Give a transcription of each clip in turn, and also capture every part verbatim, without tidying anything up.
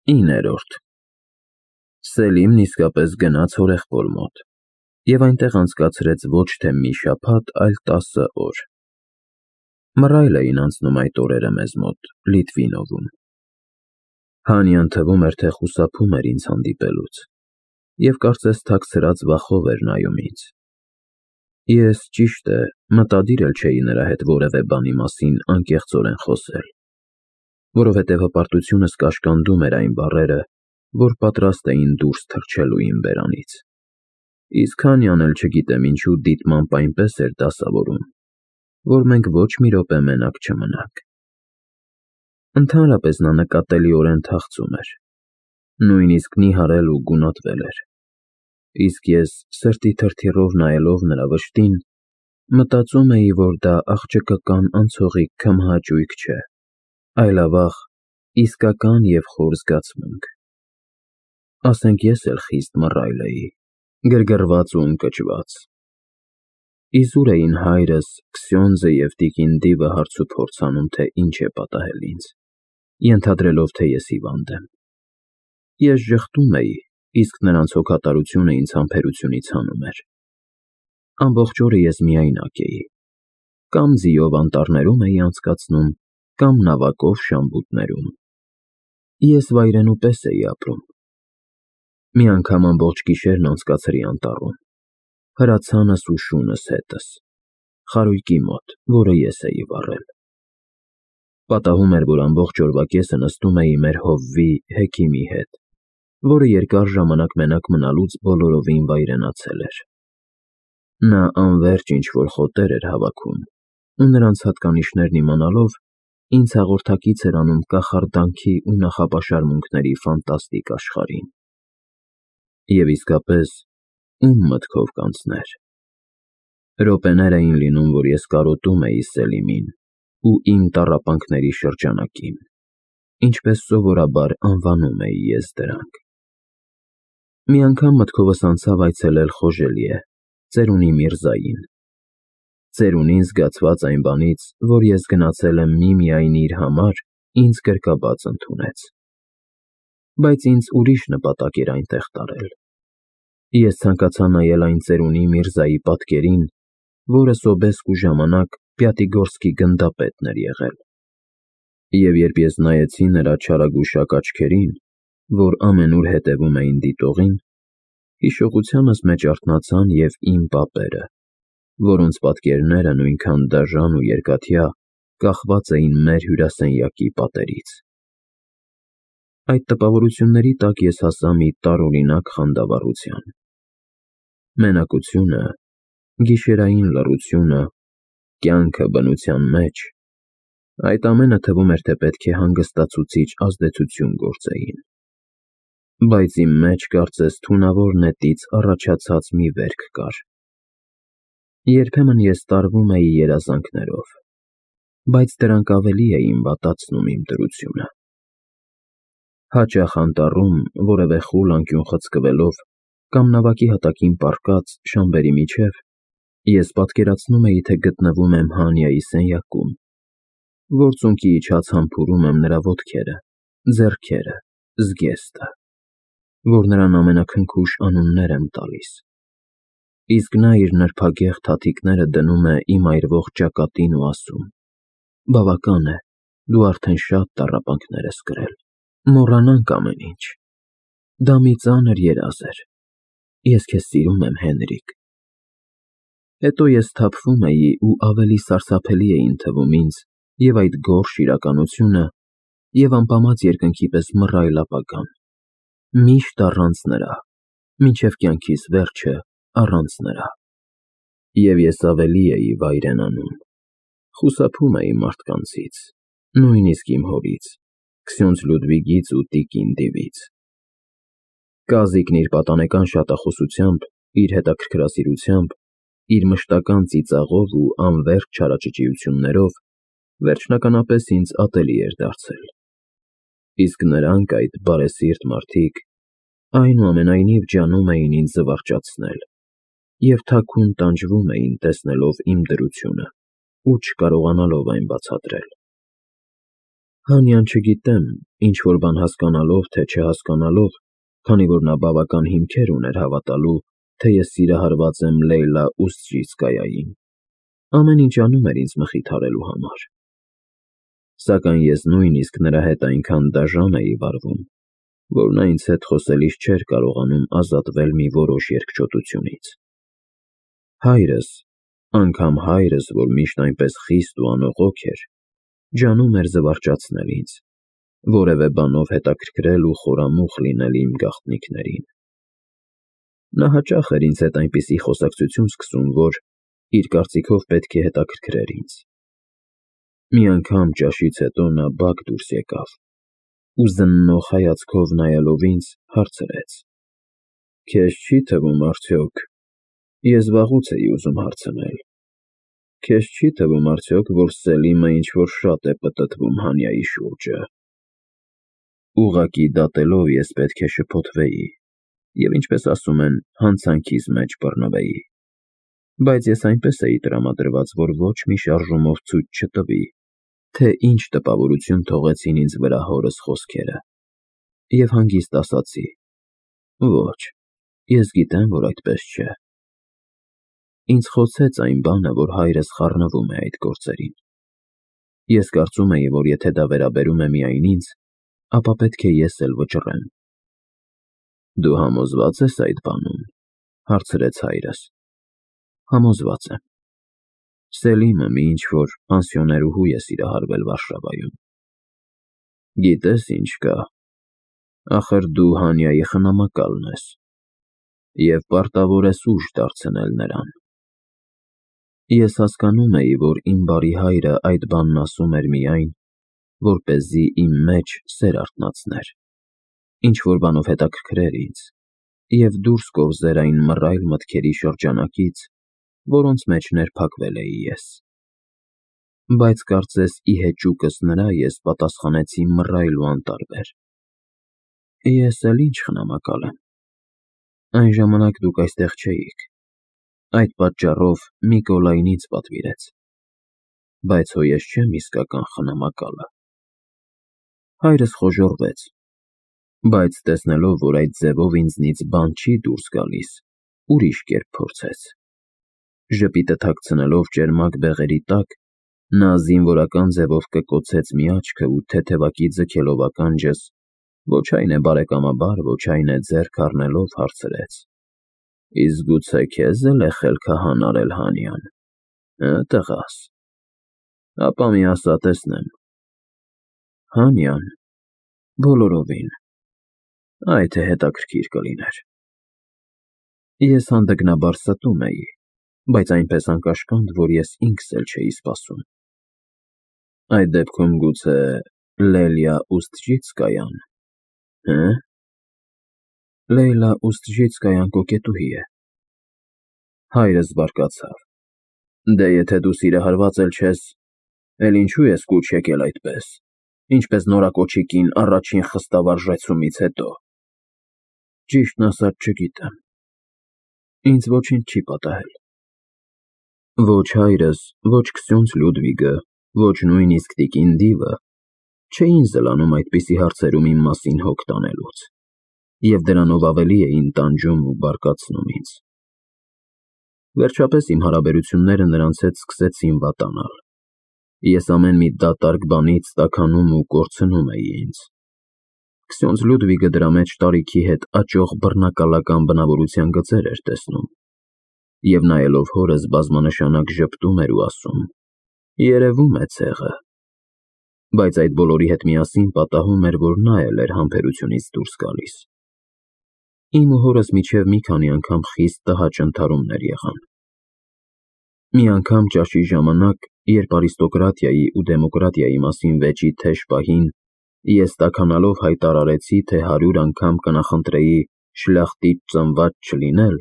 իններորդ Սելիմն իսկապես գնաց հորեղբոր մոտ և այնտեղ անցկացրեց ոչ թե մի շաբաթ, այլ տասը օր։ Մռայլ էին անցնում այդ օրերը մեզ մոտ, Լիտվինովում։ Հանյան թվում էր, թե խուսափում էր ինձ հանդիպելուց և կարծես թաքցրած վախով էր նայում ինձ։ Ես, ճիշտ է, մտադիր էլ չէի նրա հետ որևէ բանի մասին անկեղծորեն խոսել, որովհետև հպարտությունս կաշկանդում էր այն բառերը, որ պատրաստ էին դուրս թռչելու իմ բերանից, իսկ Հանյան էլ չգիտեմ ինչու դիտմամբ այնպես էր դասավորում, որ մենք ոչ մի րոպե մենակ չմնանք։ Ընդհանրապես նա նկատելիորեն թախծում էր, նույնիսկ նիհարել ու գունատվել էր, իսկ ես, սրտի թրթիռով նայելով նրա վշտին, մտածում էի, որ դա աղջկական անցողիկ քմահաճույք չէ, այլավաղ իսկական և խոր զգացմունք։ Ասենք ես էլ խիստ մռայլ էի, գրգռված ու ընկճված։ Իզուր էին հայրս, Քսյոնդզը և տիկին Դիվը հարցուփորձ անում, թե ինչ է պատահել ինձ, ենթադրելով, թե ես հիվանդ եմ։ Ես ժխտում էի, իսկ նրանց հոգատարությունը ինձ համբերությունից հանում էր։ Ամբողջ օրը ես միայնակ էի, կամ ձիով անտառներում էի անցկացնում, կամ նավակով շամբուտներում։ Ես վայրենու պես էի ապրում։ Մի անգամ ամբողջ գիշերն անցկացրի անտառում, հրացանս ու շունս հետս, խարույկի մոտ, որը ես էի վառել։ Պատահում էր, որ ամբողջ օրվա կեսը նստում էի մեր հովվի Հեքիմի հետ, որը երկար ժամանակ մենակ մնալուց բոլորովին վայրենացել էր։ Նա անվերջ ինչ-որ խոտեր էր հավաքում ու նրանց հատկանիշներն իմանալով, ինձ հաղորդակից էր անում կախարդանքի ու նախապաշարմունքների ֆանտաստիկ աշխարհին։ Եվ իսկապես, ում մտքով կանցներ։ Րոպեներ էին լինում, որ ես կարոտում էի Սելիմին ու իմ տառապանքների շրջանակին, ինչպես սովորաբար անվանում էի ես դրանք։ Մի անգամ մտքովս անցավ այցելել Խոժելիե, ծերունի Միրզային։ Ծերունին, զգացված այն բանից, որ ես գնացել եմ միմիայն իր համար, ինձ գրկաբաց ընդունեց։ Բայց ինձ ուրիշ նպատակ էր այնտեղ տարել։ Ես ցանկացա նայել այն ծերունի Միրզայի պատկերին, որը սոբեսկու ժամանակ Պյատիգորսկի գնդապետն էր եղել։ Եվ երբ ես նայեցի նրա չարագուշակ աչքերին, որ ամենուր հետևում էին դիտողին, հիշողությանս մեջ արթնացան և իմ պապերը, որոնց պատկերները նույնքան դաժան ու երկաթյա կախված էին մեր հյուրասենյակի պատերից։ Այդ տպավորությունների տակ ես հասա մի տարօրինակ խանդավառության։ Մենակությունը, գիշերային լռությունը, կյանքը բնության մեջ, այդ ամենը թվում էր, թե պետք է հանգստացուցիչ ազդեցություն գործեին։ Բայց իմ մեջ, կարծես, թունավոր նետից առաջացած մի վերք կար։ Երբեմն ես տարվում էի երազանքներով, բայց դրանք ավելի էին վատացնում իմ դրությունը։ Հաճախ անտառում, որևէ խուլ անկյուն խցկվելով կամ նավակի հատակին պառկած շամբերի միջև, ես պատկերացնում էի, թե գտնվում եմ Հանյայի սենյակում, որ ծունկի իջած համբուրում եմ նրա ոտքերը, ձեռքերը, զգեստը, որ նրան ամենաքնքուշ անուններ եմ տալիս, իսկ նա իր նրբագեղ թաթիկները դնում է իմ այրվող ճակատին ու ասում. «Բավական է, դու արդեն շատ տառապանքներ ես կրել, մոռանանք ամեն ինչ»։ Դա մի ծանր երազ էր։ Ես քեզ սիրում եմ, Հենրիկ։ Հետո ես սթափվում էի ու ավելի սարսափելի էին թվում ինձ և այդ գորշ իրականությունը, և ամպամած երկնքի պես մռայլ ապագան, միշտ առանց նրա, մինչև կյանքիս վերջը առանց նրա։ Եվ ես ավելի էի վայրենանում, խուսափում էի մարդկանցից, նույնիսկ իմ հորից, Քսյոնձ Լյուդվիգից ու տիկին Դիվից։ Կազիկն իր պատանեկան շատախոսությամբ, իր հետաքրքրասիրությամբ, իր մշտական ծիծաղով ու անվերջ չարաճճիություններով վերջնականապես ինձ ատելի էր դարձել, իսկ նրանք, այդ բարեսիրտ մարդիկ, այնուամենայնիվ ջանում էին ինձ զվարճացնել և թաքուն տանջվում էին, տեսնելով իմ դրությունը ու չկարողանալով այն բացատրել։ Հանյան չգիտեմ, ինչ-որ բան հասկանալով, թե չհասկանալով, քանի որ նա բավական հիմքեր ուներ հավատալու, թե ես սիրահարված եմ Լեյլա Ուստժիցկայային, ամեն ինչ անում էր ինձ մխիթարելու համար։ Սակայն ես նույնիսկ նրա հետ այնքան դաժան էի վարվում, որ նա ինձ հետ խոսելիս չէր կարողանում ազատվել մի որոշ երկչոտությունից։ Հայրս, անգամ հայրս, որ միշտ այնպես խիստ ու անողոք էր, ջանում էր զվարճացնել ինձ, որևէ բանով հետաքրքրել ու խորամուխ լինել իմ գաղտնիքներին։ Նա հաճախ էր ինձ հետ այնպիսի խոսակցություն սկսում, որ, իր կարծիքով, պետք է հետաքրքրեր ինձ։ Մի անգամ ճաշից հետո նա բակ դուրս եկավ ու զննող հայացքով նայելով ինձ, հարցրեց. «Քեզ չի՞ թվում, արդյոք, ես վաղուց էի ուզում հարցնել, քեզ չի՞ թվում, արդյոք, որ Սելիմը ինչ-որ շատ է պտտվում Հանյայի շուրջը»։ Ուղղակի դատելով ես պետք է շփոթվեի և, ինչպես ասում են, հանցանքիս մեջ բռնվեի, բայց ես այնպես էի տրամադրված, որ ոչ մի շարժումով ցույց չտվի, թե ինչ տպավորություն թողեցին ինձ վրա հորս խոսքերը, և հանգիստ ասացի. «Ոչ, ես գիտեմ, որ այդպես չէ»։ Ինձ խոցեց այն բանը, որ հայրս խառնվում է այդ գործերին։ Ես կարծում էի, որ եթե դա վերաբերում է միայն ինձ, ապա պետք է ես էլ վճռեմ։ «Դու համոզվա՞ծ ես այդ բանում», հարցրեց հայրս։ Համոզված եմ։ Սելիմը մի ինչ-որ պանսիոներուհու է սիրահարվել Վարշավայում։ Գիտես ինչ կա, ախր դու Հանյայի խնամակալն ես և պարտավոր ես ուժ դարձնել նրան։ Ես հասկանում էի, որ իմ բարի հայրը այդ բանն ասում էր միայն, որպեսզի իմ մեջ սեր արթնացներ, ինչ-որ բանով հետաքրքրեր ինձ և դուրս կորզեր այն մռայլ մտքերի շրջանակից, որոնց մեջ ներփակվել էի ես։ Բայց կարծես ի հեճուկս նրա ես պատասխանեցի մռայլ ու անտարբեր. «Ես էլ ինչ խնամակալ եմ։ Այն ժամանակ դուք այստեղ չէիք, այդ պատճառով Միկոլայն ինձ պատվիրեց, բայց հո ես չեմ իսկական խնամակալը»։ Հայրս խոժոռվեց, բայց տեսնելով, որ այդ ձևով ինձնից բան չի դուրս գալիս, ուրիշ կերպ փորձեց։ Ժպիտը թաքցնելով ճերմակ բեղերի տակ, նա զինվորական ձևով կկոցեց մի աչքը ու թեթևակի ձգելով ականջս, ոչ այն է բարեկամաբար, ոչ այն է ձեռք առնելով հարցրեց. «Իսկ գուցե քեզ էլ է խելքահան արել Հանյան, հը, տղաս, ապա մի ասա տեսնեմ»։ Հանյան, բոլորովին, այ թե հետաքրքիր կլիներ։ Ես հանդգնաբար ստում էի, բայց այնպես անկաշկանդ, որ ես ինքս էլ չէի սպասում։ Այդ դեպքում գուցե Լելիա Ուստժիցկայան, հը՞։ Լեյլա Ուստժիցկայան կոկետուհի է։ Հայրս բարկացավ. «Դե եթե դու սիրահարված էլ չես, էլ ինչու ես կուչ եկել այդպես, ինչպես նորակոչիկին առաջին խստավարժեցումից հետո»։ Ճիշտն ասած չգիտեմ։ Ինձ ոչինչ չի պատահել։ Ոչ հայրս, ոչ Քսյոնց Լյուդվիգը, ոչ նույնիսկ տիկին Դիվը չէին զլանում այդպիսի հարցերում իմ մասին հոգ տանելուց, և դրանով ավելի էին տանջում ու բարկացնում ինձ։ Վերջապես իմ հարաբերությունները նրանց հետ սկսեցին վատանալ։ Ես ամեն մի դատարկ բանից տաքանում ու կորցնում էի ինձ։ Քսյոնց Լյուդվիգը դրա մեջ տարիքի հետ աճող բռնակալական բնավորության գծեր էր տեսնում, և նայելով հորս բազմանշանակ ժպտում էր ու ասում. «Երևում է ցեղը», բայց այդ բոլորի հետ միասին պատահում էր, որ նա էլ էր համբերությունից դուրս գալիս։ Իմ ու հորս միջև մի քանի անգամ խիստ տհաճ ընդհարումներ եղան։ Մի անգամ ճաշի ժամանակ, երբ արիստոկրատիայի ու դեմոկրատիայի մասին վեճի թեժ պահին ես տաքանալով հայտարարեցի, թե հարյուր անգամ կնախընտրեի շլախտիչ ծնված չլինել,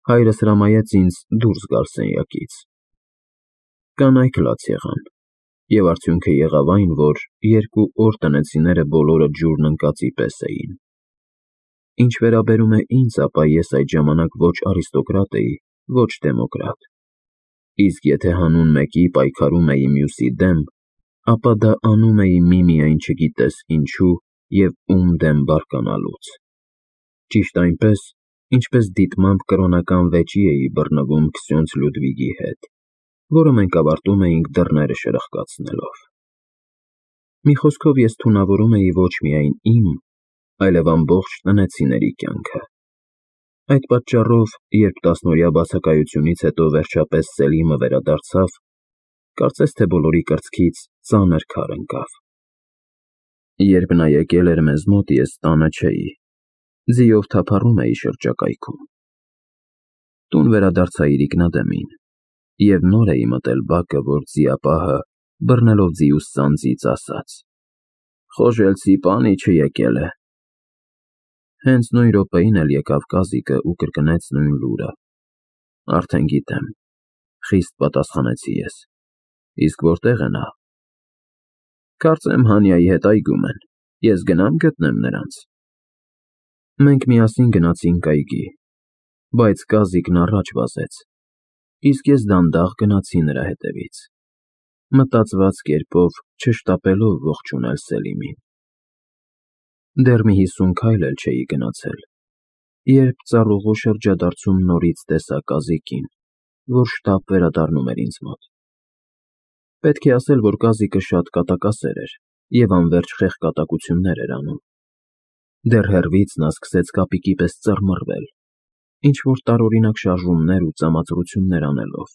հայրս հրամայեց ինձ դուրս գալ սենյակից։ Կանայք լաց եղան, և արդյունքը եղավ այն, որ երկու օր տնեցիները բոլորը ջուրն ընկածի պես էին։ Ինչ վերաբերում է ինձ, ապա ես այդ ժամանակ ոչ արիստոկրատ էի, ոչ դեմոկրատ, իսկ եթե հանուն մեկի պայքարում էի մյուսի դեմ, ապա դա անում էի միմիայն չգիտես ինչու և ում դեմ բարկանալուց, ճիշտ այնպես, ինչպես դիտմամբ կրոնական վեճի էի բռնվում Քսյոնց Լյուդվիգի հետ, որը մենք ավարտում էինք դռները շրխկացնելով։ Մի խոսքով ես թունավորում էի ոչ միայն իմ, այլև ամբողջ տնեցիների կյանքը։ Այդ պատճառով, երբ տասնօրյա բացակայությունից հետո վերջապես Սելիմը վերադարձավ, կարծես թե բոլորի կրծքից ծանր քար ընկավ։ Երբ նա եկել էր մեզ մոտ, ես տանը չէի, ձիով թափառում էի շրջակայքում։ Տուն վերադարձա իրիկնադեմին, և նոր էի մտել բակը, որ ձիապահը, բռնելով ձիուս սանձից, ասաց. «Խոժելցի պանիչը եկել է»։ Հենց նույն րոպեին էլ եկավ կազիկը ու կրկնեց նույն լուրը։ «Արդեն գիտեմ», խիստ պատասխանեցի ես, «իսկ որտե՞ղ է նա»։ «Կարծեմ Հանյայի հետ այգում են, ես գնա՞մ գտնեմ նրանց»։ Մենք միասին գնացինք այգի, բայց կազիկն առաջ վազեց, իսկ ես դանդաղ գնացի նրա հետևից, մտածված կերպով չշտապելով ողջունել Սելիմին։ Դեռ մի հիսուն քայլ էլ չէի գնացել, երբ ծառուղու շրջադարձում նորից տեսա կազիկին, որ շտապ վերադառնում էր ինձ մոտ։ Պետք է ասել, որ կազիկը շատ կատակասեր էր և անվերջ խեղկատակություններ էր անում։ Դեռ հեռվից նա սկսեց կապիկի պես ծռմռվել, ինչ-որ տարօրինակ շարժումներ ու ծամածրություններ անելով։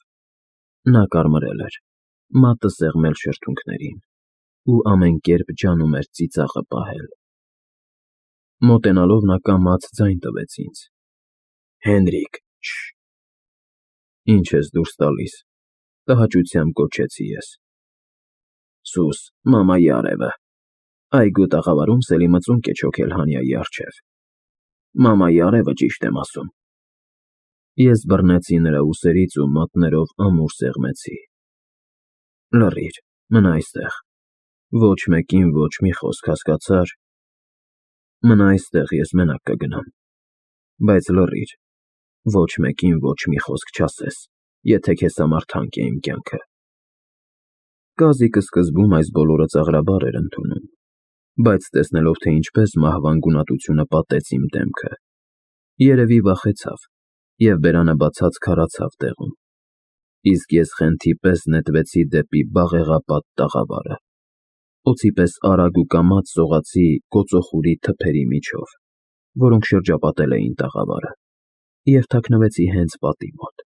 Նա կարմրել էր, մատը սեղմել շրթունքներին ու ամեն կերպ ջանում էր ծիծաղը պահել։ Մոտենալով նա կամաց ձայն տվեց ինձ. «Հենրիկ, շ…»։ «Ինչ ես դուրս տալիս», տհաճությամբ գոչեցի ես։ «Սուս, մամայի արևը, այգու տաղավարում Սելիմը ծունկ է չոքել Հանյայի առջև։ Մամայի արևը, ճիշտ եմ ասում»։ Ես բռնեցի նրա ուսերից ու մատներով ամուր սեղմեցի։ «Լռիր, մնա այստեղ, ոչ մեկին ոչ մի խոսք, հասկացա՞ր։ Մնա այստեղ, ես մենակ կգնամ, բայց լռիր, ոչ մեկին ոչ մի խոսք չասես, եթե քեզ համար թանկ է իմ կյանքը»։ Կազիկը սկզբում այս բոլորը ծաղրաբար էր ընդունում, բայց տեսնելով, թե ինչպես մահվան գունատությունը պատեց իմ դեմքը, երևի վախեցավ և բերանը բացած քարացավ տեղում, իսկ ես խենթի պես նետվեցի դեպի բաղեղապատ տաղավարը, օձի պես արագ ու կամաց սողացի կոծոխուրի թփերի միջով, որոնք շրջապատել էին տաղավարը, և թաքնվեցի հենց պատի մոտ։